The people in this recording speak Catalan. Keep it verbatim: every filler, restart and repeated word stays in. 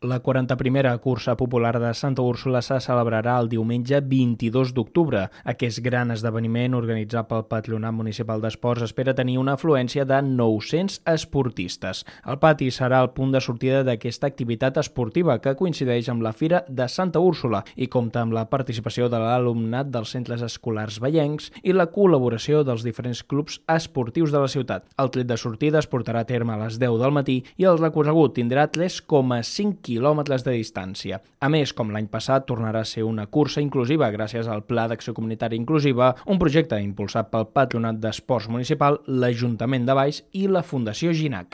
La quaranta-primera cursa popular de Santa Úrsula se celebrarà el diumenge vint-i-dos d'octubre. Aquest gran esdeveniment, organitzat pel Patronat Municipal d'Esports, espera tenir una afluència de nou-cents esportistes. El pati serà el punt de sortida d'aquesta activitat esportiva que coincideix amb la Fira de Santa Úrsula i compta amb la participació de l'alumnat dels centres escolars vallencs i la col·laboració dels diferents clubs esportius de la ciutat. El tret de sortida es portarà a terme a les deu del matí i el recorregut tindrà tres coma cinc quilòmetres de distància. A més, com l'any passat, tornarà a ser una cursa inclusiva gràcies al Pla d'Acció Comunitària Inclusiva, un projecte impulsat pel Patronat d'Esports Municipal, l'Ajuntament de Valls i la Fundació Ginac.